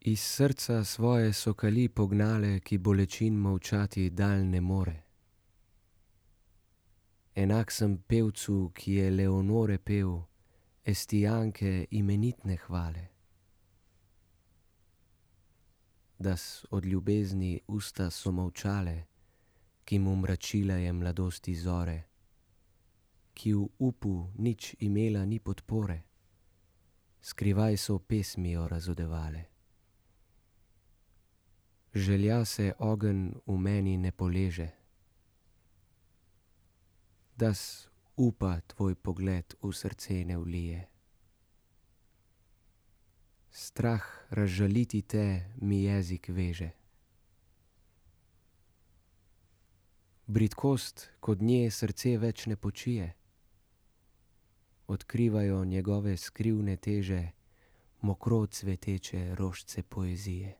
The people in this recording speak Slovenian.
Iz srca svoje so kali pognale, ki bolečin molčati dal ne more. Enak sem pevcu, ki je Leonore pel, Estijanke imenitne hvale. Das od ljubezni usta so molčale, ki mu mračila je mladosti zore, ki v upu nič imela ni podpore, skrivaj so pesmijo razodevale. Želja se ogenj v meni ne poleže, das upa tvoj pogled v srce ne vlije. Strah razžaliti te mi jezik veže. Bridkost, kod nje srce več ne počije, odkrivajo njegove skrivne teže mokro cveteče rožice poezije.